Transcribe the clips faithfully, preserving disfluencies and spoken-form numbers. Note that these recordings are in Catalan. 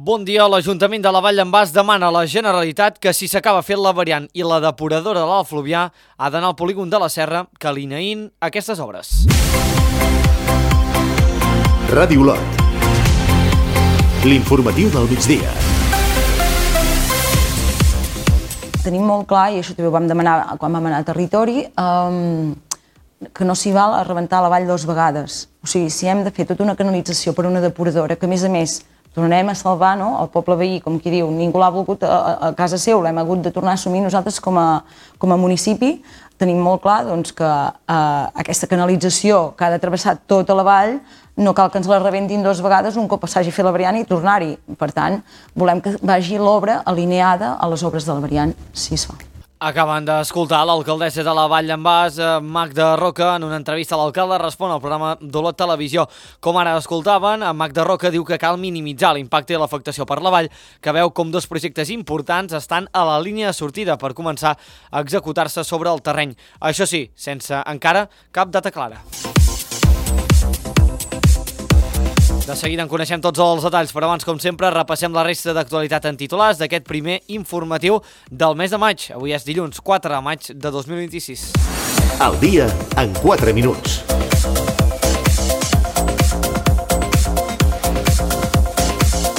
Bon dia. L'Ajuntament de la Vall d'en Bas demana a la Generalitat que si s'acaba fent la variant i la depuradora de l'Alt Fluvià ha d'anar al polígon de la Serra que alineïn aquestes obres. Ràdio Olot. L'informatiu del migdia. Tenim molt clar, i això també ho vam demanar quan vam anar a territori, um, que no s'hi val a rebentar la vall dues vegades. O sigui, si hem de fer tota una canalització per una depuradora, que a més a més tornarem a salvar, no?, el poble veí, com qui diu, ningú l'ha volgut a, a casa seu, l'hem hagut de tornar a assumir nosaltres com a, com a municipi. Tenim molt clar doncs, que eh, aquesta canalització que ha de travessar tota la vall no cal que ens la rebentin dues vegades un cop s'hagi fet la variant i tornar-hi. Per tant, volem que vagi l'obra alineada a les obres de la variant, si es fa. Acaben d'escoltar l'alcaldessa de la Vall d'en Bas, Magda Roca, en una entrevista a l'alcalde respon al programa d'Olot Televisió. Com ara escoltaven, Magda Roca diu que cal minimitzar l'impacte i l'afectació per la vall, que veu com dos projectes importants estan a la línia de sortida per començar a executar-se sobre el terreny. Això sí, sense encara cap data clara. De seguida en coneixem tots els detalls, però abans, com sempre, repassem la resta d'actualitat en titulars d'aquest primer informatiu del mes de maig. Avui és dilluns quatre de maig de dos mil vint-i-sis. El dia en quatre minuts.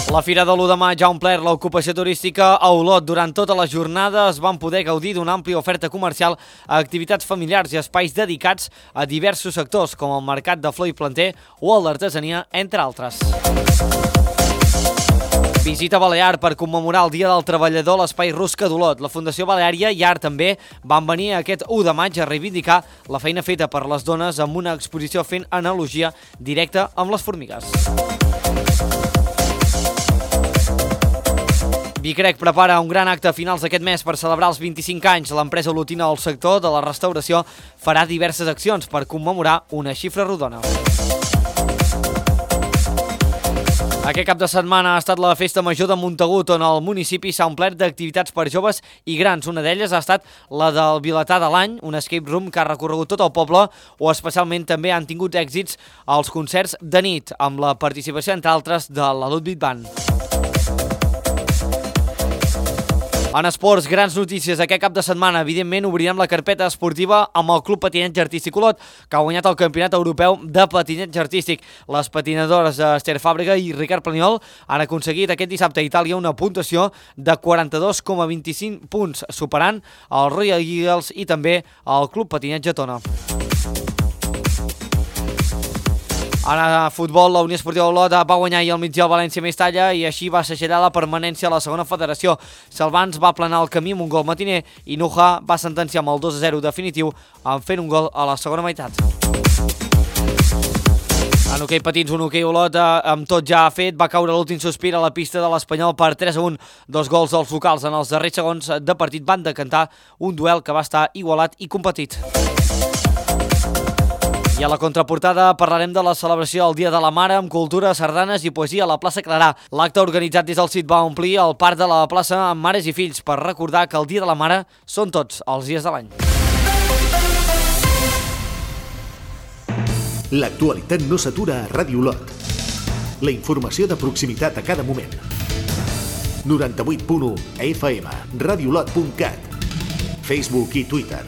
La Fira de l'u de maig ha omplert l'ocupació turística a Olot. Durant tota la jornada es van poder gaudir d'una àmplia oferta comercial a activitats familiars i espais dedicats a diversos sectors, com el mercat de flor i planter o el d'artesania, entre altres. Visita Balear per commemorar el Dia del Treballador a l'Espai Rusca d'Olot. La Fundació Baleària i Art també van venir aquest u de maig a reivindicar la feina feta per les dones amb una exposició fent analogia directa amb les formigues. Vicrec prepara un gran acte a finals d'aquest mes per celebrar els vint-i-cinc anys. L'empresa olotina del sector de la restauració farà diverses accions per commemorar una xifra rodona. Aquest cap de setmana ha estat la Festa Major de Montagut, on el municipi s'ha omplert d'activitats per joves i grans. Una d'elles ha estat la del Vilatà de l'any, un escape room que ha recorregut tot el poble, o especialment també han tingut èxits als concerts de nit, amb la participació, entre altres, de la Ludwig Band. En esports, grans notícies. Aquest cap de setmana, evidentment, obrirem la carpeta esportiva amb el Club Patinatge Artístic Olot, que ha guanyat el Campionat Europeu de Patinatge Artístic. Les patinadores Esther Fàbrega i Ricard Planiol han aconseguit aquest dissabte a Itàlia una puntuació de quaranta-dos coma vint-i-cinc punts, superant el Royal Eagles i també el Club Patinatge Tona. Ara, a futbol, la Unió Esportiva Olot va guanyar ahir al migdia al València Mestalla i així va segellar la permanència a la segona federació. Salvans va aplanar el camí amb un gol matiner i Nuja va sentenciar amb el dos a zero definitiu en fent un gol a la segona meitat. En hoquei patins, un hoquei Olot amb tot ja fet va caure l'últim sospir a la pista de l'Espanyol per tres a un. Dos gols dels locals en els darrers segons de partit van decantar un duel que va estar igualat i competit. I a la contraportada parlarem de la celebració del Dia de la Mare amb cultura, sardanes i poesia a la plaça Clarà. L'acte organitzat des del C I T va omplir el parc de la plaça amb mares i fills per recordar que el Dia de la Mare són tots els dies de l'any. L'actualitat no s'atura a Ràdio Olot. La informació de proximitat a cada moment. noranta-vuit punt u F M, radiolot punt cat, Facebook i Twitter.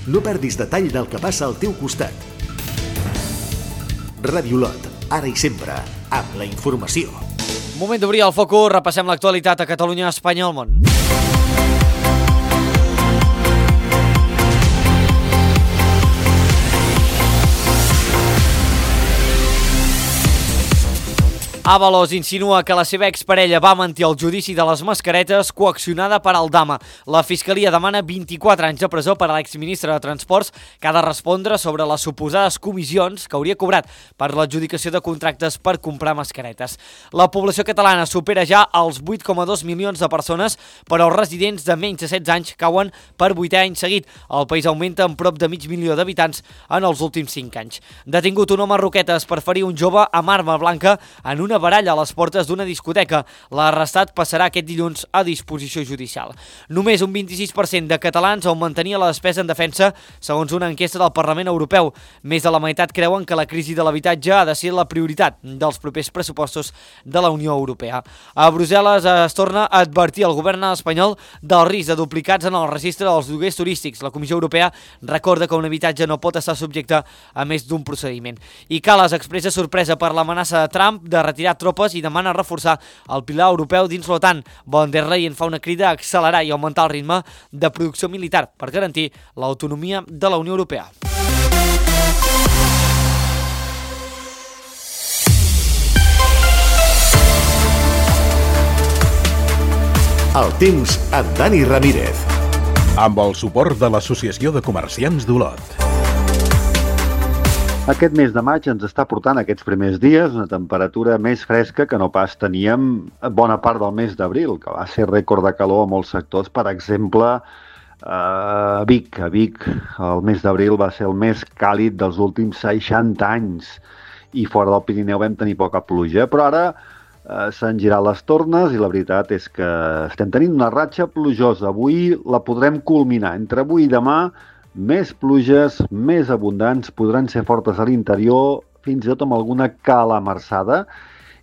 No perdis detall del que passa al teu costat. Ràdio Olot, ara i sempre, amb la informació. Moment d'obrir el focus, repassem l'actualitat a Catalunya, Espanya i el món. Ábalos insinua que la seva exparella va mentir al judici de les mascaretes coaccionada per Aldama. La Fiscalia demana vint-i-quatre anys de presó per a l'exministre de Transports, que ha de respondre sobre les suposades comissions que hauria cobrat per l'adjudicació de contractes per comprar mascaretes. La població catalana supera ja els vuit coma dos milions de persones, però els residents de menys de setze anys cauen per vuitè any seguit. El país augmenta en prop de mig milió d'habitants en els últims cinc anys. Detingut un home a Roquetes per ferir un jove amb arma blanca en una una baralla a les portes d'una discoteca. L'arrestat passarà aquest dilluns a disposició judicial. Només un vint-i-sis per cent de catalans augmentaria la despesa en defensa, segons una enquesta del Parlament Europeu. Més de la meitat creuen que la crisi de l'habitatge ha de ser la prioritat dels propers pressupostos de la Unió Europea. A Brussel·les es torna a advertir el govern espanyol del risc de duplicats en el registre dels lloguers turístics. La Comissió Europea recorda que un habitatge no pot estar subjecte a més d'un procediment. I Kallas expressa sorpresa per l'amenaça de Trump de retirar tropes i demana reforçar el pilar europeu dins l'OTAN. Von der Leyen fa una crida a accelerar i augmentar el ritme de producció militar per garantir l'autonomia de la Unió Europea. El temps amb Dani Ramírez. Amb el suport de l'Associació de Comerciants d'Olot. Aquest mes de maig ens està portant aquests primers dies una temperatura més fresca que no pas teníem bona part del mes d'abril, que va ser rècord de calor a molts sectors. Per exemple, a Vic. A Vic el mes d'abril va ser el més càlid dels últims seixanta anys i fora del Pirineu vam tenir poca pluja, però ara eh, s'han girat les tornes i la veritat és que estem tenint una ratxa plujosa. Avui la podrem culminar. Entre avui i demà, més pluges, més abundants, podran ser fortes a l'interior, fins i tot amb alguna calamarsada,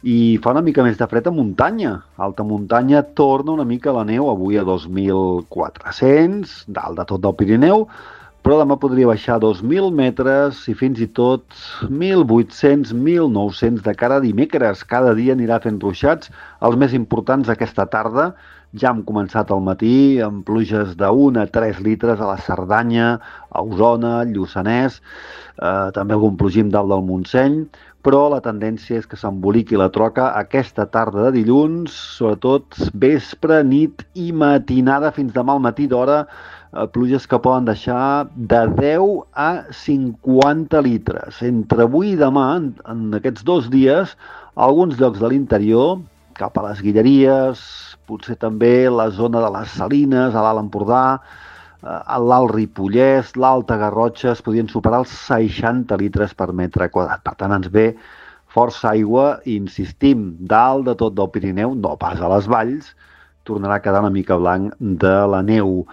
i fa una mica més de fred a muntanya. Alta muntanya torna una mica la neu, avui a dos mil quatre-cents, dalt de tot del Pirineu, però demà podria baixar a dos mil metres i fins i tot mil vuit-cents, mil nou-cents de cara a dimecres. Cada dia anirà fent ruixats, els més importants aquesta tarda. Ja hem començat al matí amb pluges d'un a tres litres a la Cerdanya, a Osona, Lluçanès, eh, també algun plogim dalt del Montseny, però la tendència és que s'emboliqui la troca aquesta tarda de dilluns, sobretot vespre, nit i matinada fins demà al matí d'hora, eh, pluges que poden deixar de deu a cinquanta litres. Entre avui i demà, en, en aquests dos dies, a alguns llocs de l'interior, cap a les Guilleries, potser també la zona de les Salines, a l'Alt Empordà, a l'Alt Ripollès, l'Alta Garrotxa, es podien superar els seixanta litres per metre quadrat. Per tant, ens ve força aigua i insistim, dalt de tot del Pirineu, no pas a les valls, tornarà a quedar una mica blanc de la neu.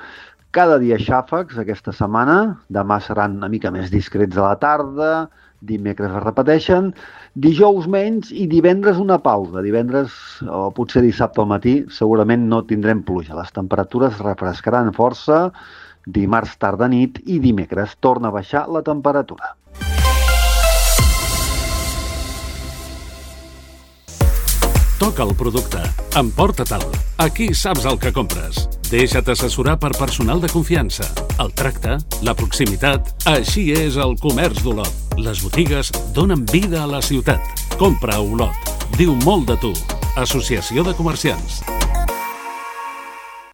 Cada dia xàfecs aquesta setmana, demà seran una mica més discrets a la tarda, dimecres es repeteixen, dijous menys i divendres una pausa. Divendres o potser dissabte al matí segurament no tindrem pluja. Les temperatures refrescaran força, dimarts tarda nit i dimecres torna a baixar la temperatura. Toca el producte, emporta-te'l. Aquí saps el que compres. Deixa't assessorar per personal de confiança. El tracte, la proximitat, així és el comerç d'Olot. Les botigues donen vida a la ciutat. Compra a Olot. Diu molt de tu. Associació de Comerciants.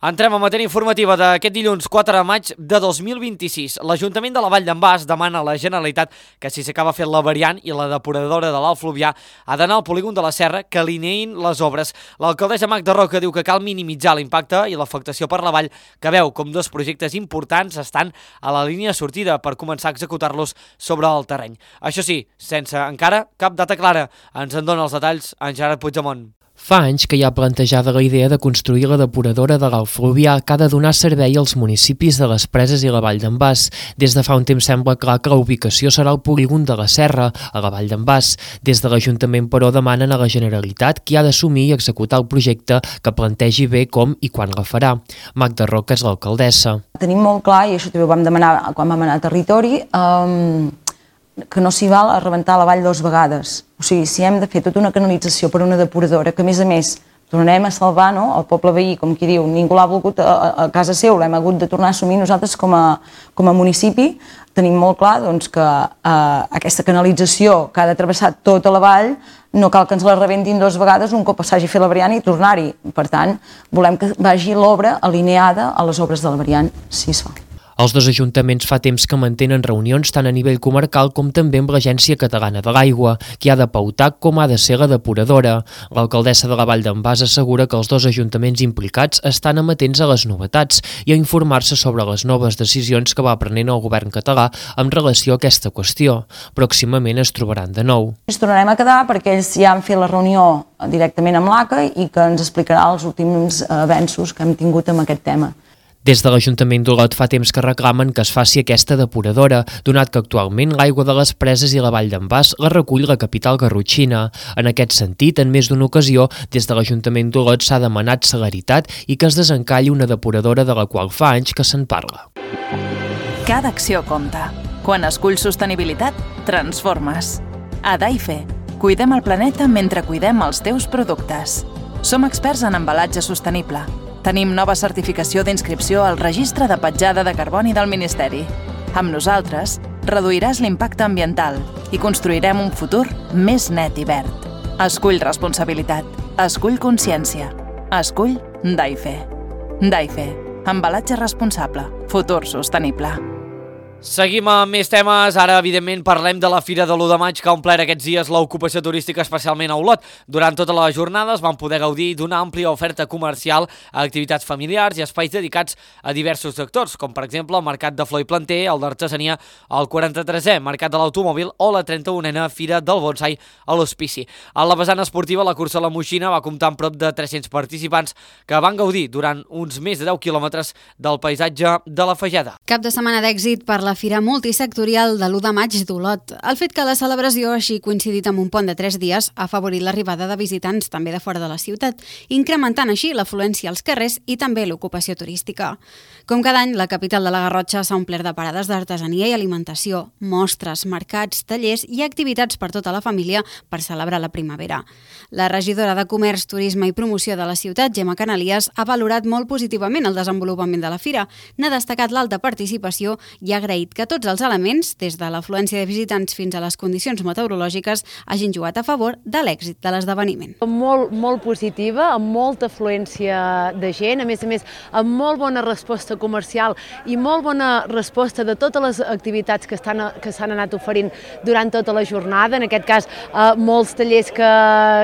Entrem a matèria informativa d'aquest dilluns quatre de maig de dos mil vint-i-sis. L'Ajuntament de la Vall d'en Bas demana a la Generalitat que si s'acaba fent la variant i la depuradora de l'Alt Fluvià ha d'anar al polígon de la Serra que alineïn les obres. L'alcaldessa Magda Roca diu que cal minimitzar l'impacte i l'afectació per la vall, que veu com dos projectes importants estan a la línia de sortida per començar a executar-los sobre el terreny. Això sí, sense encara cap data clara. Ens en dona els detalls en Gerard Puigdemont. Fa anys que hi ha plantejada la idea de construir la depuradora de l'Alt Fluvià que ha de donar servei als municipis de les Preses i la Vall d'en Bas. Des de fa un temps sembla clar que la ubicació serà el polígon de la Serra, a la Vall d'en Bas. Des de l'Ajuntament, però, demanen a la Generalitat qui ha d'assumir i executar el projecte que plantegi bé com i quan la farà. Magda Roca és l'alcaldessa. Tenim molt clar, i això també ho vam demanar quan vam anar a territori, um, que no s'hi val a rebentar la vall dues vegades. O sigui, si hem de fer tota una canalització per una depuradora, que a més a més tornarem a salvar, no?, el poble veí, com qui diu, ningú l'ha volgut a, a casa seu, l'hem hagut de tornar a assumir nosaltres com a, com a municipi, tenim molt clar doncs, que eh, aquesta canalització que ha de travessar tota la vall no cal que ens la rebentin dues vegades un cop s'hagi fet la variant i tornar-hi. Per tant, volem que vagi l'obra alineada a les obres de la variant, si es fa. Els dos ajuntaments fa temps que mantenen reunions tant a nivell comarcal com també amb l'Agència Catalana de l'Aigua, que ha de pautar com ha de ser la depuradora. L'alcaldessa de la Vall d'en Bas assegura que els dos ajuntaments implicats estan amatents a les novetats i a informar-se sobre les noves decisions que va prenent el govern català en relació a aquesta qüestió. Pròximament es trobaran de nou. Ens tornarem a quedar perquè ells ja han fet la reunió directament amb l'A C A i que ens explicarà els últims avenços que hem tingut amb aquest tema. Des de l'Ajuntament d'Olot fa temps que reclamen que es faci aquesta depuradora, donat que actualment l'aigua de les preses i la Vall d'en Bas la recull la capital garrotxina. En aquest sentit, en més d'una ocasió, des de l'Ajuntament d'Olot s'ha demanat celeritat i que es desencalli una depuradora de la qual fa anys que se'n parla. Cada acció compta. Quan esculls sostenibilitat, transformes. A Daife, cuidem el planeta mentre cuidem els teus productes. Som experts en embalatge sostenible. Tenim nova certificació d'inscripció al Registre de Petjada de Carboni del Ministeri. Amb nosaltres, reduiràs l'impacte ambiental i construirem un futur més net i verd. Escull responsabilitat. Escull consciència. Escull Daife. Daife. Embalatge responsable. Futur sostenible. Seguim amb més temes. Ara, evidentment, parlem de la Fira de l'u de maig que ha omplert aquests dies l'ocupació turística, especialment a Olot. Durant tota la jornada es van poder gaudir d'una àmplia oferta comercial a activitats familiars i espais dedicats a diversos sectors, com per exemple el Mercat de Flor i Planter, el d'Artesania, el quaranta-tresè Mercat de l'Automòbil o la trenta-unena Fira del Bonsai a l'Hospici. A la vessant esportiva, la cursa a la Moixina va comptar amb prop de tres-cents participants que van gaudir durant uns més de deu quilòmetres del paisatge de la Fageda. Cap de setmana d'èxit per la Fira Multisectorial de l'u de maig d'Olot. El fet que la celebració hagi coincidit amb un pont de tres dies ha afavorit l'arribada de visitants també de fora de la ciutat, incrementant així l'afluència als carrers i també l'ocupació turística. Com cada any, la capital de la Garrotxa s'ha omplert de parades d'artesania i alimentació, mostres, mercats, tallers i activitats per tota la família per celebrar la primavera. La regidora de Comerç, Turisme i Promoció de la ciutat, Gemma Canalies, ha valorat molt positivament el desenvolupament de la fira, n'ha destacat l'alta participació i ha agraït que tots els elements, des de l'afluència de visitants fins a les condicions meteorològiques, hagin jugat a favor de l'èxit de l'esdeveniment. Molt, molt positiva, amb molta afluència de gent, a més a més, amb molt bona resposta comercial i molt bona resposta de totes les activitats que estan que s'han anat oferint durant tota la jornada. En aquest cas, eh, molts tallers que,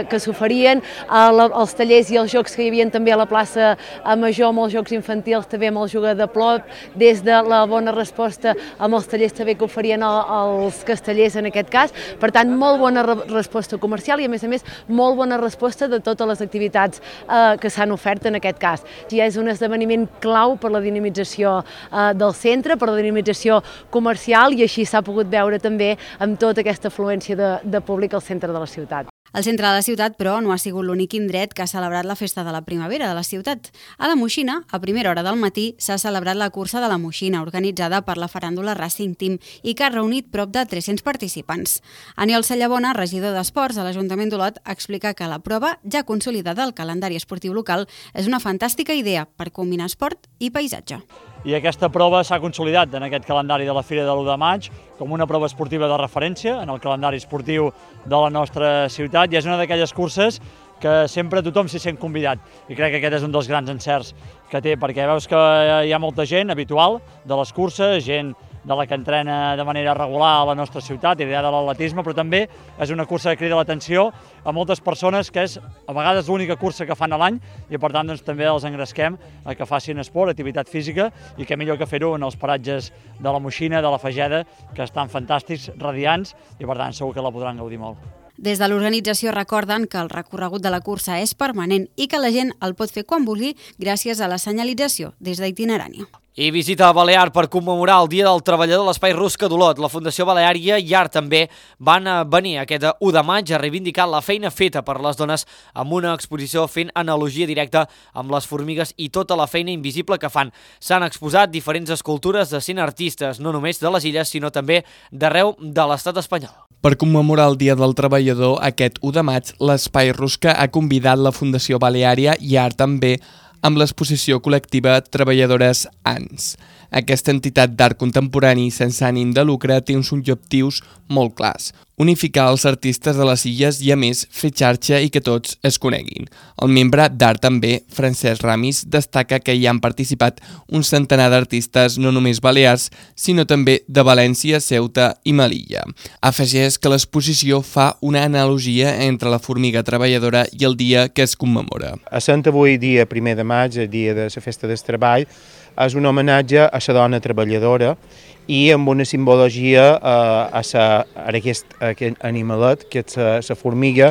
que s'oferien, eh, els tallers i els jocs que hi havia també a la plaça Major, molts jocs infantils, també amb el jugador de plop, des de la bona resposta amb els tallers també que oferien els castellers en aquest cas. Per tant, molt bona resposta comercial i, a més a més, molt bona resposta de totes les activitats eh, que s'han ofert en aquest cas. Ja és un esdeveniment clau per la dinamització eh, del centre, per la dinamització comercial i així s'ha pogut veure també amb tota aquesta afluència de, de públic al centre de la ciutat. El centre de la ciutat, però, no ha sigut l'únic indret que ha celebrat la festa de la primavera de la ciutat. A la Moixina, a primera hora del matí, s'ha celebrat la cursa de la Moixina, organitzada per la faràndula Racing Team i que ha reunit prop de tres-cents participants. Aniol Sallabona, regidor d'Esports a l'Ajuntament d'Olot, explica que la prova, ja consolidada al calendari esportiu local, és una fantàstica idea per combinar esport i paisatge. I aquesta prova s'ha consolidat en aquest calendari de la Fira de l'u de maig com una prova esportiva de referència en el calendari esportiu de la nostra ciutat i és una d'aquelles curses que sempre tothom s'hi sent convidat i crec que aquest és un dels grans encerts que té perquè veus que hi ha molta gent habitual de les curses, gent de la que entrena de manera regular a la nostra ciutat, idea de l'atletisme, però també és una cursa que crida l'atenció a moltes persones que és a vegades l'única cursa que fan a l'any i per tant doncs, també els engresquem a que facin esport, activitat física i que millor que fer-ho en els paratges de la Moixina, de la Fageda, que estan fantàstics, radiants i per tant segur que la podran gaudir molt. Des de l'organització recorden que el recorregut de la cursa és permanent i que la gent el pot fer quan vulgui gràcies a la senyalització des d'Itinerània. I visita a Balear per commemorar el Dia del Treballador de l'Espai Rusca d'Olot. La Fundació Baleària i Art també van venir aquest u de maig a reivindicar la feina feta per les dones amb una exposició fent analogia directa amb les formigues i tota la feina invisible que fan. S'han exposat diferents escultures de cent artistes, no només de les illes, sinó també d'arreu de l'estat espanyol. Per commemorar el Dia del Treballador, aquest u de maig, l'Espai Rusca ha convidat la Fundació Baleària i Art també amb l'exposició col·lectiva Treballadores A N S. Aquesta entitat d'art contemporani sense ànim de lucre té uns objectius molt clars: unificar els artistes de les illes i, a més, fer xarxa i que tots es coneguin. El membre d'Art també, Francesc Ramis, destaca que hi han participat un centenar d'artistes no només balears, sinó també de València, Ceuta i Melilla. Afegeix que l'exposició fa una analogia entre la formiga treballadora i el dia que es commemora. Essent avui dia primer de maig, el dia de la festa del treball, és un homenatge a la dona treballadora i amb una simbologia eh, a, sa, a aquest, a aquest animalet, que és la formiga,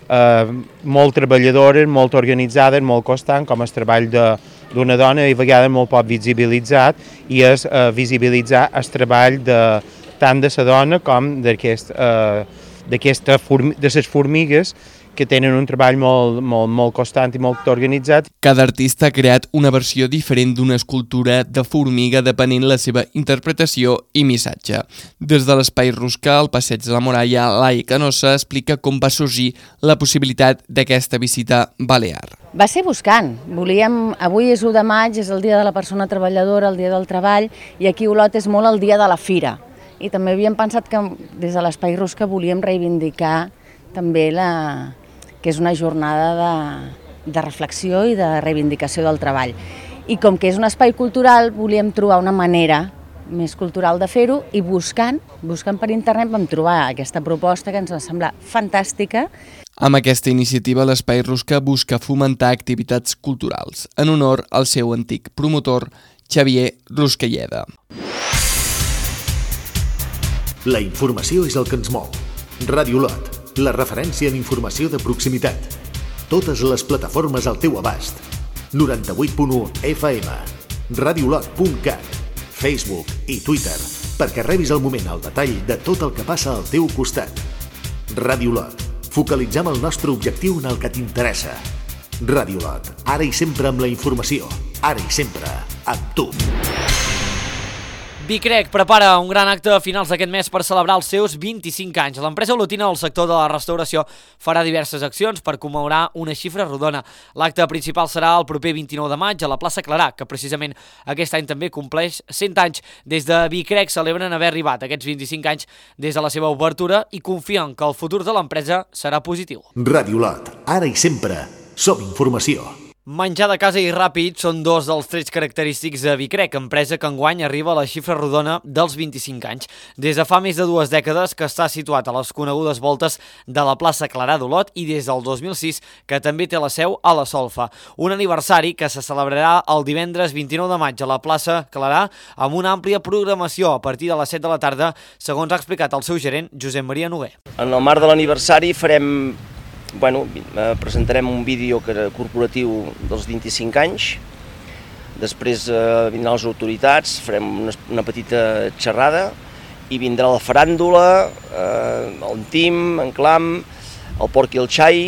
eh, molt treballadora, molt organitzada, molt constant, com el treball d'una dona, i a vegades molt poc visibilitzat, i és eh, visibilitzar el treball de, tant de la dona com d'aquest, eh, de les formigues, que tenen un treball molt, molt, molt constant i molt organitzat. Cada artista ha creat una versió diferent d'una escultura de formiga depenent la seva interpretació i missatge. Des de l'Espai Rusca al Passeig de la Muralla, Lai Canosa explica com va sorgir la possibilitat d'aquesta visita balear. Va ser buscant. Volíem, avui és u de maig, és el dia de la persona treballadora, el dia del treball, i aquí a Olot és molt el dia de la fira. I també havíem pensat que des de l'Espai Rusca volíem reivindicar també la... que és una jornada de, de reflexió i de reivindicació del treball. I com que és un espai cultural, volíem trobar una manera més cultural de fer-ho, i buscant, buscant per internet vam trobar aquesta proposta que ens va semblar fantàstica. Amb aquesta iniciativa, l'Espai Rusca busca fomentar activitats culturals en honor al seu antic promotor, Xavier Ruscalleda. La informació és el que ens mou. Ràdio Olot, la referència en informació de proximitat. Totes les plataformes al teu abast. noranta-vuit punt u F M, radiolot punt cat, Facebook i Twitter, perquè rebis al moment el detall de tot el que passa al teu costat. Ràdio Olot, focalitzem el nostre objectiu en el que t'interessa. Ràdio Olot, ara i sempre amb la informació, ara i sempre amb tu. Vicrec prepara un gran acte a finals d'aquest mes per celebrar els seus vint-i-cinc anys. L'empresa olotina del sector de la restauració farà diverses accions per commemorar una xifra rodona. L'acte principal serà el proper vint-i-nou de maig a la plaça Clarà, que precisament aquest any també compleix cent anys. Des de Vicrec celebren haver arribat aquests vint-i-cinc anys des de la seva obertura i confien que el futur de l'empresa serà positiu. Ràdio Olot, ara i sempre, som informació. Menjar de casa i ràpid són dos dels trets característics de Vicrec, empresa que enguany arriba a la xifra rodona dels vint-i-cinc anys. Des de fa més de dues dècades que està situat a les conegudes voltes de la plaça Clarà d'Olot i des del dos mil sis que també té la seu a la Solfa. Un aniversari que se celebrarà el divendres vint-i-nou de maig a la plaça Clarà amb una àmplia programació a partir de les set de la tarda, segons ha explicat el seu gerent, Josep Maria Noguer. En el marc de l'aniversari farem... Bueno, presentarem un vídeo corporatiu dels vint-i-cinc anys, després eh, vindran les autoritats, farem una, una petita xerrada i vindrà la faràndula, eh, el Tim, en Clam, el Porc i el Xai,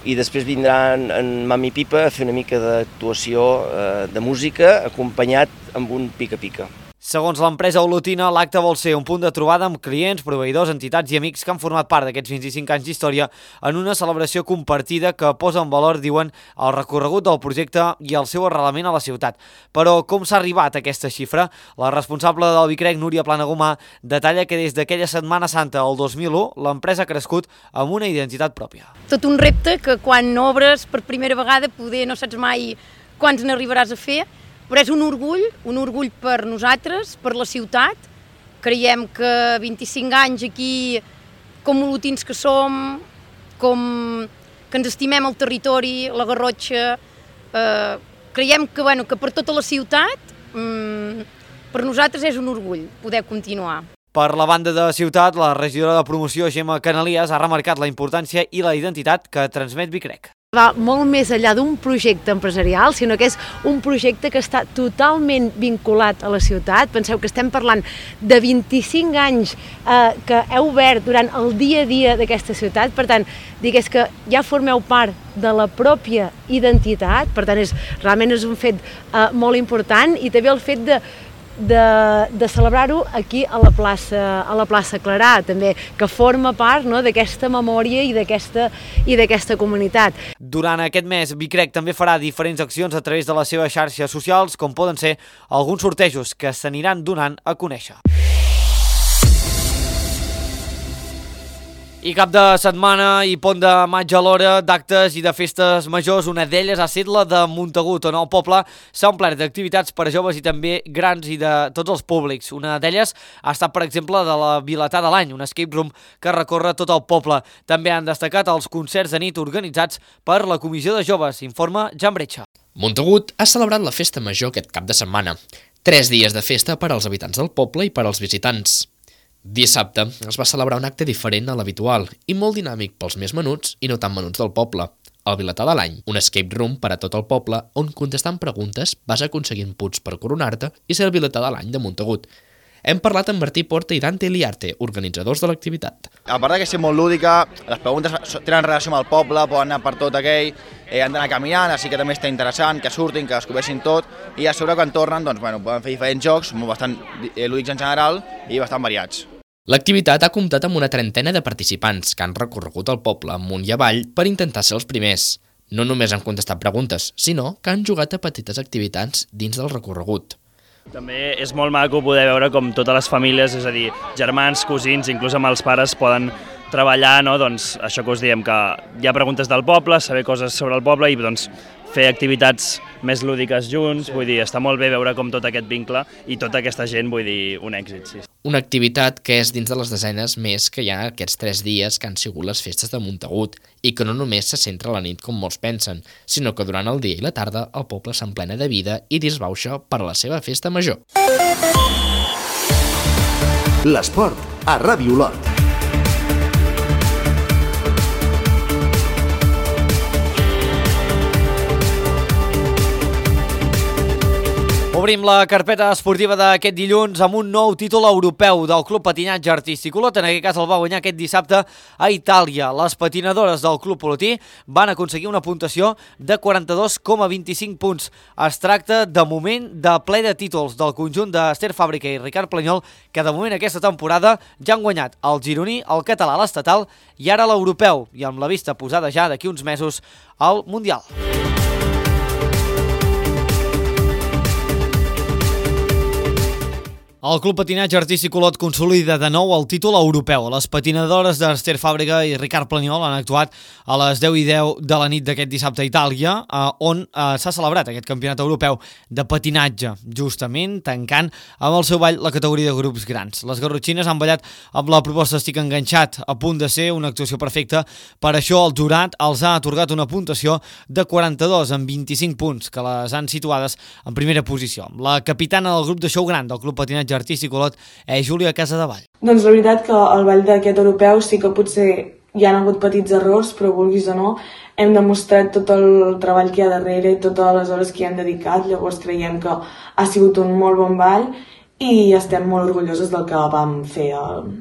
i després vindran en Mami Pipa a fer una mica d'actuació eh, de música acompanyat amb un pica-pica. Segons l'empresa olotina, l'acte vol ser un punt de trobada amb clients, proveïdors, entitats i amics que han format part d'aquests vint-i-cinc anys d'història en una celebració compartida que posa en valor, diuen, el recorregut del projecte i el seu arrelament a la ciutat. Però com s'ha arribat a aquesta xifra? La responsable del Vicrec, Núria Planagumà, detalla que des d'aquella Setmana Santa el dos mil u l'empresa ha crescut amb una identitat pròpia. Tot un repte que quan obres per primera vegada poder no saps mai quants n'arribaràs a fer, però és un orgull, un orgull per nosaltres, per la ciutat. Creiem que vint-i-cinc anys aquí, com olotins que som, com que ens estimem el territori, la Garrotxa, eh, creiem que, bueno, que per tota la ciutat, mm, per nosaltres és un orgull poder continuar. Per la banda de ciutat, la regidora de promoció, Gemma Canalies, ha remarcat la importància i la identitat que transmet Vicrec. Va molt més enllà d'un projecte empresarial, sinó que és un projecte que està totalment vinculat a la ciutat. Penseu que estem parlant de vint-i-cinc anys eh, que heu obert durant el dia a dia d'aquesta ciutat, per tant, digués que ja formeu part de la pròpia identitat, per tant, és, realment és un fet eh, molt important, i també el fet de de, de celebrar-ho aquí a la plaça, a la plaça Clarà, també, que forma part, no, d'aquesta memòria i d'aquesta i d'aquesta comunitat. Durant aquest mes, Vicrec també farà diferents accions a través de les seves xarxes socials, com poden ser alguns sortejos que s'aniran donant a conèixer. I cap de setmana i pont de maig alhora d'actes i de festes majors, una d'elles ha estat la de Montagut, on el poble s'ha omplert d'activitats per a joves i també grans i de tots els públics. Una d'elles ha estat, per exemple, de la Vilatà de l'Any, un escape room que recorre tot el poble. També han destacat els concerts de nit organitzats per la Comissió de Joves, informa Jan Bretxa. Montagut ha celebrat la festa major aquest cap de setmana. Tres dies de festa per als habitants del poble i per als visitants. Dissabte es va celebrar un acte diferent a l'habitual i molt dinàmic pels més menuts i no tan menuts del poble. El Vilatà de l'Any, un escape room per a tot el poble on contestant preguntes vas aconseguint punts per coronar-te i ser el Vilatà de l'Any de Montagut. Hem parlat amb Martí Porta i Dante Liarte, organitzadors de l'activitat. A part que és molt lúdica, les preguntes tenen relació amb el poble, poden anar per tot aquell, eh, han d'anar caminant, així que també està interessant, que surtin, que descobreixin tot, i a sobre quan tornen doncs, bueno, poden fer diferents jocs, bastant eh, lúdics en general i bastant variats. L'activitat ha comptat amb una trentena de participants que han recorregut el poble amunt i avall per intentar ser els primers. No només han contestat preguntes, sinó que han jugat a petites activitats dins del recorregut. També és molt maco poder veure com totes les famílies, és a dir, germans, cosins, inclús amb els pares, poden treballar, no? Doncs això que us diem, que hi ha preguntes del poble, saber coses sobre el poble i doncs, fer activitats més lúdiques junts, vull dir, està molt bé veure com tot aquest vincle i tota aquesta gent, vull dir, un èxit, sí. Una activitat que és dins de les desenes més que hi ha aquests tres dies que han sigut les festes de Montagut i que no només se centra a la nit com molts pensen, sinó que durant el dia i la tarda el poble s'emplena de vida i disbauxa per a la seva festa major. L'esport a Ràdio Olot. Obrim la carpeta esportiva d'aquest dilluns amb un nou títol europeu del Club Patinatge Artístic Olot. En aquest cas el va guanyar aquest dissabte a Itàlia. Les patinadores del Club Olotí van aconseguir una puntuació de quaranta-dos coma vint-i-cinc punts. Es tracta de moment de ple de títols del conjunt d'Ester Fàbrica i Ricard Planyol, que de moment aquesta temporada ja han guanyat el gironí, el català, l'estatal i ara l'europeu, i amb la vista posada ja d'aquí uns mesos al Mundial. El Club Patinatge Artístic Olot consolida de nou el títol europeu. Les patinadores d'Ester Fàbrica i Ricard Planyol han actuat a les deu i deu de la nit d'aquest dissabte a Itàlia, on s'ha celebrat aquest campionat europeu de patinatge, justament tancant amb el seu ball la categoria de grups grans. Les garrotxines han ballat amb la proposta Estic enganxat, a punt de ser una actuació perfecta. Per això el jurat els ha atorgat una puntuació de quaranta-dos amb vint-i-cinc punts, que les han situades en primera posició. La capitana del grup de show gran del Club Patinatge Artístic Olot és Júlia Casadevall. Doncs la veritat que el ball d'aquest europeu sí que potser hi han hagut petits errors, però vulguis o no, hem demostrat tot el treball que hi ha darrere i totes les hores que hi han dedicat, llavors creiem que ha sigut un molt bon ball i estem molt orgulloses del que vam fer el,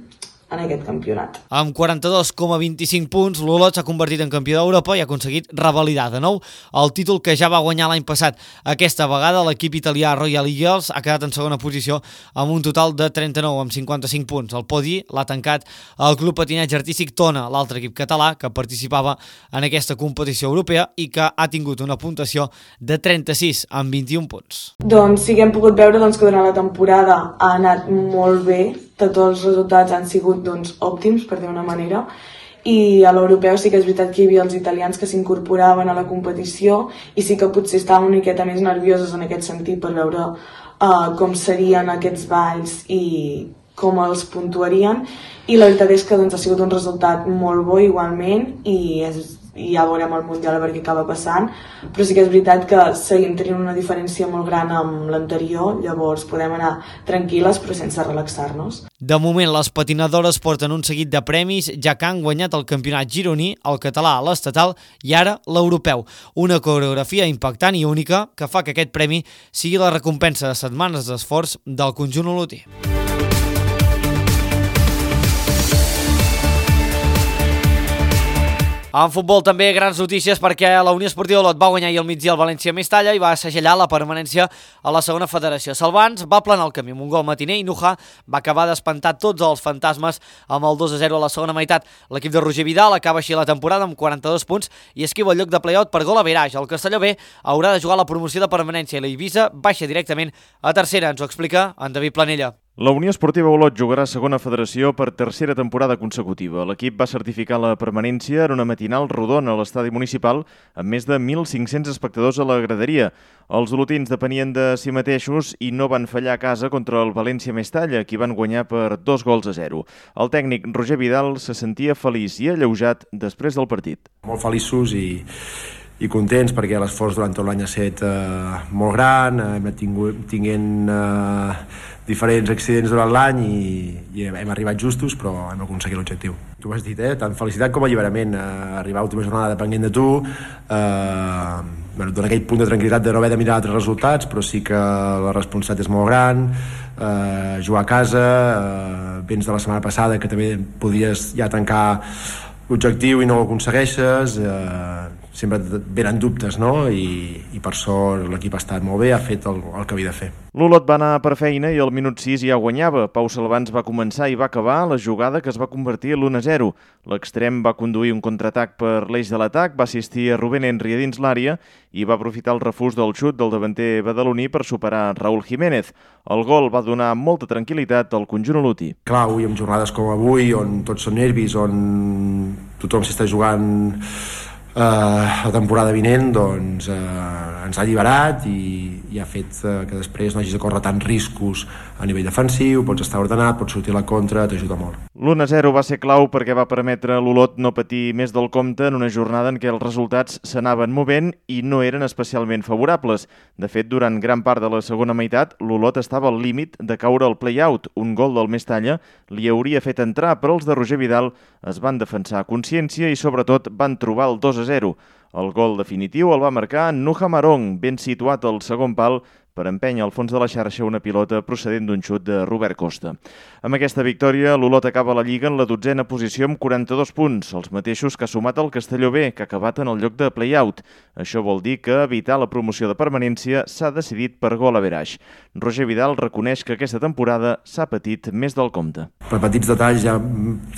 en aquest campionat. Amb quaranta-dos coma vint-i-cinc punts, l'Olot s'ha convertit en campió d'Europa i ha aconseguit revalidar de nou el títol que ja va guanyar l'any passat. Aquesta vegada l'equip italià Royal Eagles ha quedat en segona posició amb un total de trenta-nou amb cinquanta-cinc punts. El podi l'ha tancat el Club Patinatge Artístic Tona, l'altre equip català que participava en aquesta competició europea i que ha tingut una puntuació de trenta-sis amb vint-i-un punts. Doncs sí que hem pogut veure doncs, que durant la temporada ha anat molt bé, tots els resultats han sigut doncs, òptims, per dir una manera, i a l'europeu sí que és veritat que hi havia els italians que s'incorporaven a la competició i sí que potser estaven una miqueta més nervioses en aquest sentit per veure uh, com serien aquests balls i com els puntuarien, i la veritat és que doncs, ha sigut un resultat molt bo igualment i és i ja veurem el Mundial a veure què acaba passant, però sí que és veritat que seguim tenint una diferència molt gran amb l'anterior, llavors podem anar tranquil·les però sense relaxar-nos. De moment les patinadores porten un seguit de premis, ja que han guanyat el campionat gironí, el català, l'estatal i ara l'europeu. Una coreografia impactant i única que fa que aquest premi sigui la recompensa de setmanes d'esforç del conjunt olotí. En futbol també grans notícies perquè la Unió Esportiva Olot va guanyar ahir al migdia el València Mestalla i va segellar la permanència a la segona federació. Salvans va planar el camí amb un gol matiner i Nuja va acabar d'espantar tots els fantasmes amb el dos a zero a la segona meitat. L'equip de Roger Vidal acaba així la temporada amb quaranta-dos punts i esquiva el lloc de play-out per gol a Veraix. El Castelló B haurà de jugar la promoció de permanència i la Eivissa baixa directament a tercera. Ens ho explica en David Planella. La Unió Esportiva Olot jugarà segona federació per tercera temporada consecutiva. L'equip va certificar la permanència en una matinal rodona a l'estadi municipal amb més de mil cinc-cents espectadors a la graderia. Els olotins depenien de si mateixos i no van fallar a casa contra el València Mestalla, qui van guanyar per dos gols a zero. El tècnic Roger Vidal se sentia feliç i alleujat després del partit. Molt feliços i... i contents perquè l'esforç durant tot l'any ha estat eh, molt gran, eh, hem tingut tinguent eh, diferents accidents durant l'any i, i hem arribat justos, però hem aconseguit l'objectiu. Tu ho has dit, eh? Tant felicitat com alliberament. Eh, arribar a l'última jornada depenent de tu, eh, bueno, et dona aquell punt de tranquil·litat de no haver de mirar altres resultats, però sí que la responsabilitat és molt gran, eh, jugar a casa, eh, vens de la setmana passada que també podries ja tancar l'objectiu i no ho aconsegueixes, eh, sempre venen dubtes, no? I, i per sort l'equip ha estat molt bé, ha fet el, el que havia de fer. L'Olot va anar per feina i al minut sis ja guanyava. Pau Salvans va començar i va acabar la jugada que es va convertir en l'u a zero. L'extrem va conduir un contraatac per l'eix de l'atac, va assistir a Rubén Henry a dins l'àrea i va aprofitar el refús del xut del davanter badaloní per superar Raúl Jiménez. El gol va donar molta tranquil·litat al conjunt olotí. Clar, avui en jornades com avui, on tots són nervis, on tothom s'està jugant Uh, la temporada vinent, doncs uh, ens ha alliberat i, i ha fet uh, que després no hagis de córrer tants riscos a nivell defensiu, pots estar ordenat, pots sortir a la contra, t'ajuda molt. l'u a zero va ser clau perquè va permetre a l'Olot no patir més del compte en una jornada en què els resultats s'anaven movent i no eren especialment favorables. De fet, durant gran part de la segona meitat, l'Olot estava al límit de caure al play-out. Un gol del Mestalla li hauria fet entrar, però els de Roger Vidal es van defensar a consciència i sobretot van trobar el dos a zero. El gol definitiu el va marcar Nuja Marong, ben situat al segon pal, per empènyer al fons de la xarxa una pilota procedent d'un xut de Robert Costa. Amb aquesta victòria, l'Olot acaba la Lliga en la dotzena posició amb quaranta-dos punts, els mateixos que ha sumat el Castelló B, que ha acabat en el lloc de play-out. Això vol dir que evitar la promoció de permanència s'ha decidit per gol a Veraix. Roger Vidal reconeix que aquesta temporada s'ha patit més del compte. Per petits detalls hi ha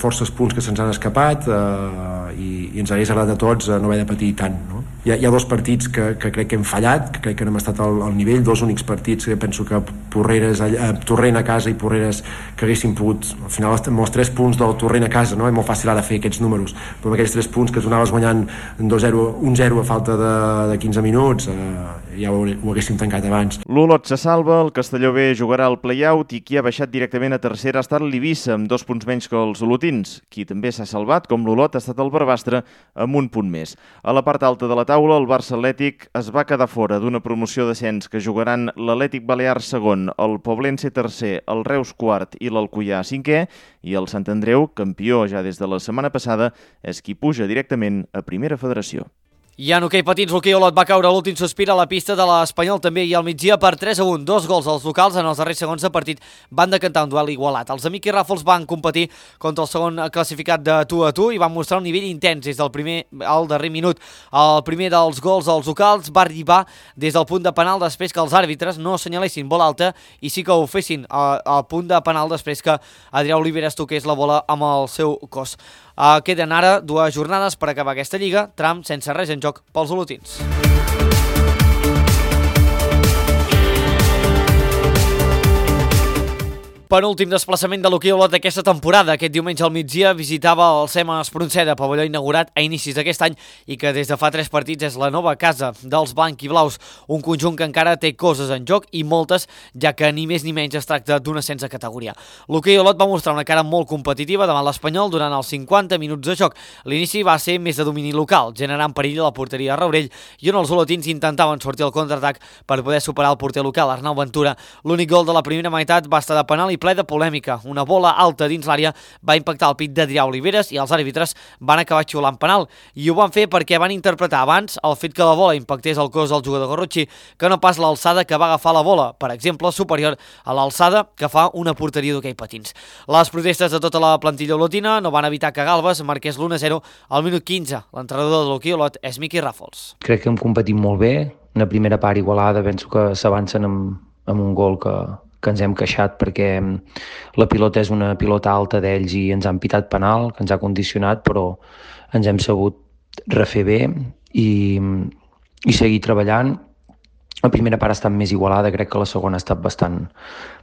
forces punts que se'ns han escapat eh, i, i ens hagués agradat a tots no haver de patir tant. No? Hi, ha, hi ha dos partits que, que crec que hem fallat, que crec que no hem estat al, al nivell, dos únics partits que penso que Porreres, eh, Torrent a casa i Porreres que haguessin pogut, al final amb els tres punts del Torrent a casa, no? És molt fàcil ara fer aquests números, però amb aquells tres punts que tu anaves guanyant dos zero, un zero a falta de, de quinze minuts, eh, ja ho, ho haguéssim tancat abans. L'Olot se salva, el Castelló B jugarà al play-out i qui ha baixat directament a tercera ha estat l'Eivissa, amb dos punts menys que els olotins. Qui també s'ha salvat, com l'Olot, ha estat el Barbastre, amb un punt més. A la part alta de la taula, el Barça Atlètic es va quedar fora d'una promoció d'ascens que jugaran l'Atlètic Balear segon, el Poblense tercer, el Reus quart i l'Alcoià cinquè, i el Sant Andreu, campió ja des de la setmana passada, és qui puja directament a Primera Federació. I en hoquei patins, l'hoquei Olot va caure l'últim sospir a la pista de l'Espanyol també i al migdia per tres a un. Dos gols als locals en els darrers segons de partit van decantar un duel igualat. Els amics i Ràfols van competir contra el segon classificat de tu a tu i van mostrar un nivell intens des del primer al darrer minut. El primer dels gols als locals va arribar des del punt de penal després que els àrbitres no assenyalessin bola alta i sí que ho fessin al punt de penal després que Adrià Oliveres toqués la bola amb el seu cos. Uh, queden ara dues jornades per acabar aquesta lliga, tram sense res en joc pels olotins. Penúltim desplaçament de l'hoquei Olot d'aquesta temporada. Aquest diumenge al migdia visitava el SEMA Espronceda, pavelló inaugurat a inicis d'aquest any i que des de fa tres partits és la nova casa dels blanc i blaus. Un conjunt que encara té coses en joc i moltes, ja que ni més ni menys es tracta d'un ascens de categoria. L'hoquei Olot va mostrar una cara molt competitiva davant l'Espanyol durant els cinquanta minuts de joc. L'inici va ser més de domini local, generant perill a la porteria de Raurell i on els olotins intentaven sortir al contraatac per poder superar el porter local, Arnau Ventura. L'únic gol de la primera meitat va estar de penal i ple de polèmica. Una bola alta dins l'àrea va impactar el pit d'Adrià Oliveres i els àrbitres van acabar xiulant penal. I ho van fer perquè van interpretar abans el fet que la bola impactés el cos del jugador garrotxí que no pas l'alçada que va agafar la bola, per exemple, superior a l'alçada que fa una porteria d'hoquei patins. Les protestes de tota la plantilla olotina no van evitar que Galbes marqués l'u a zero al minut quinze. L'entrenador de l'hoquei Olot és Miqui Ràfols. Crec que hem competit molt bé. Una primera part igualada, penso que s'avancen amb, amb un gol que, que ens hem queixat perquè la pilota és una pilota alta d'ells i ens han pitat penal, que ens ha condicionat, però ens hem sabut refer bé i, i seguir treballant. La primera part ha estat més igualada, crec que la segona ha estat bastant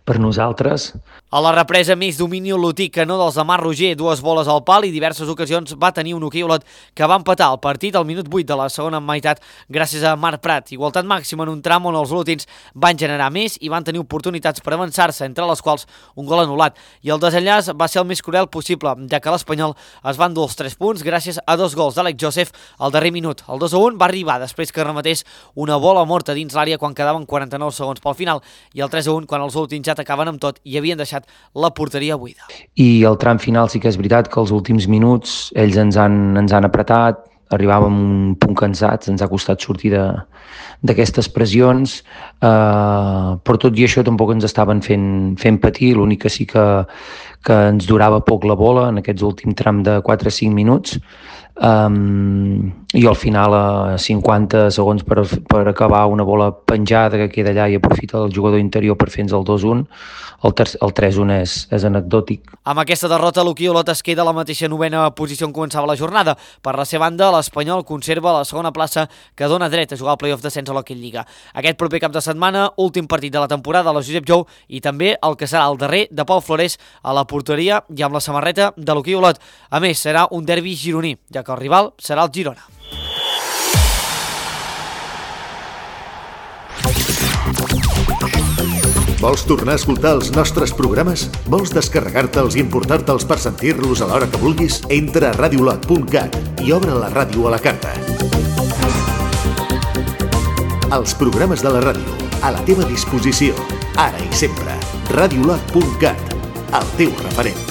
per nosaltres. A la represa, més domini olotí que no dels de Marc Roger, dues boles al pal i diverses ocasions va tenir un hoquei Olot que va empatar el partit al minut vuit de la segona meitat gràcies a Marc Prat. Igualtat màxima en un tram on els olotins van generar més i van tenir oportunitats per avançar-se, entre les quals un gol anul·lat. I el desenllaç va ser el més cruel possible, ja que l'Espanyol es va endur els tres punts gràcies a dos gols d'Àlex Joseph al darrer minut. El dos a un va arribar després que rematés una bola morta dins l'àrea quan quedaven quaranta-nou segons pel final i el tres a un quan els olotins ja atacaven amb tot i havien deixat la porteria buida. I el tram final sí que és veritat que els últims minuts ells ens han, ens han apretat, arribàvem a un punt cansats, ens ha costat sortir d'aquestes pressions, eh, però tot i això tampoc ens estaven fent, fent patir, l'únic que sí que, que ens durava poc la bola en aquests últims tram de quatre a cinc minuts, Um, i al final a cinquanta segons per, per acabar una bola penjada que queda allà i aprofita el jugador interior per fer-nos el dos a un, el, el tres a un és, és anecdòtic. Amb aquesta derrota l'hoquei Olot es queda a la mateixa novena posició on començava la jornada. Per la seva banda, l'Espanyol conserva la segona plaça que dona dret a jugar al play-off d'ascens a l'Hockey Lliga. Aquest proper cap de setmana, últim partit de la temporada a la Josep Jou i també el que serà el darrer de Pau Flores a la porteria i amb la samarreta de l'hoquei Olot. A més, serà un derbi gironí, ja que el rival serà el Girona. Vols tornar a escoltar els nostres programes? Vols descarregar-te'ls i importar-te'ls per sentir-los a l'hora que vulguis? Entra a radiolot punt cat i obre la ràdio a la carta. Els programes de la ràdio, a la teva disposició, ara i sempre. radiolot punt cat, el teu referent.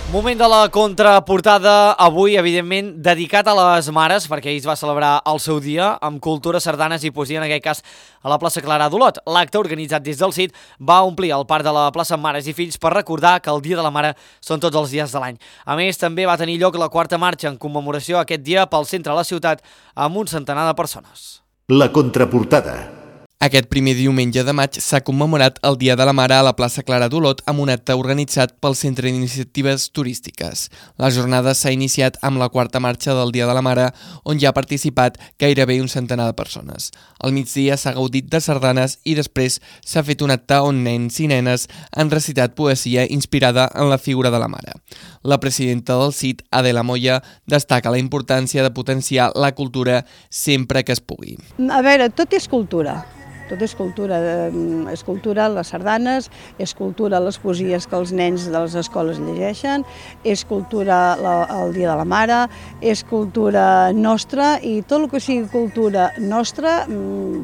Moment de la contraportada, avui, evidentment, dedicat a les mares, perquè ahir es va celebrar el seu dia, amb cultura, sardanes i poesia, en aquest cas, a la plaça Clara d'Olot. L'acte, organitzat des del C I D, va omplir el parc de la plaça Mares i Fills per recordar que el Dia de la Mare són tots els dies de l'any. A més, també va tenir lloc la quarta marxa en commemoració aquest dia pel centre de la ciutat, amb un centenar de persones. La contraportada. Aquest primer diumenge de maig s'ha commemorat el Dia de la Mare a la plaça Clara d'Olot amb un acte organitzat pel Centre d'Iniciatives Turístiques. La jornada s'ha iniciat amb la quarta marxa del Dia de la Mare, on hi ha participat gairebé un centenar de persones. Al migdia s'ha gaudit de sardanes i després s'ha fet un acte on nens i nenes han recitat poesia inspirada en la figura de la mare. La presidenta del C I D, Adela Moya, destaca la importància de potenciar la cultura sempre que es pugui. A veure, tot és cultura. Tot és cultura, és cultura les sardanes, és cultura les poesies que els nens de les escoles llegeixen, és cultura el Dia de la Mare, és cultura nostra i tot el que sigui cultura nostra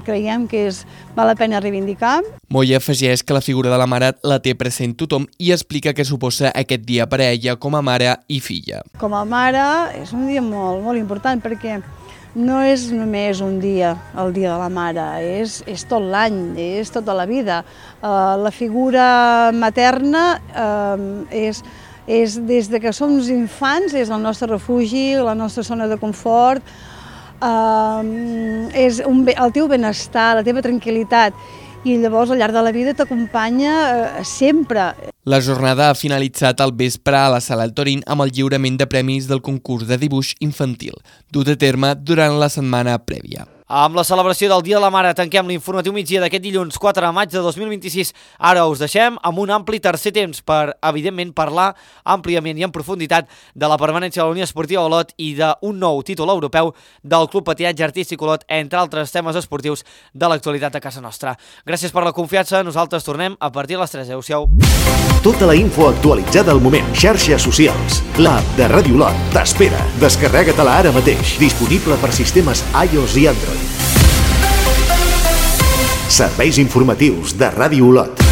creiem que és, val la pena reivindicar. Moya afegeix que la figura de la mare la té present tothom i explica què suposa aquest dia per a ella com a mare i filla. Com a mare és un dia molt, molt important perquè no és només un dia, el Dia de la Mare, és, és tot l'any, és tota la vida. Uh, la figura materna uh, és, és des de que som infants, és el nostre refugi, la nostra zona de confort, uh, és un, el teu benestar, la teva tranquil·litat. I llavors al llarg de la vida t'acompanya eh, sempre. La jornada ha finalitzat al vespre a la Sala El Torín amb el lliurament de premis del concurs de dibuix infantil, dut a terme durant la setmana prèvia. Amb la celebració del Dia de la Mare tanquem l'informatiu migdia d'aquest dilluns quatre de maig de dos mil vint-i-sis. Ara us deixem amb un ampli tercer temps per, evidentment, parlar àmpliament i en profunditat de la permanència de la Unió Esportiva Olot i d'un nou títol europeu del Club Patinatge Artístic Olot, entre altres temes esportius de l'actualitat a casa nostra. Gràcies per la confiança, nosaltres tornem a partir de les tres. Adéu-siau. Tota la info actualitzada al moment. Xarxes socials. L'app de Ràdio Olot t'espera. Descarrega-te-la ara mateix. Disponible per sistemes iOS i Android. Serveis informatius de Ràdio Olot.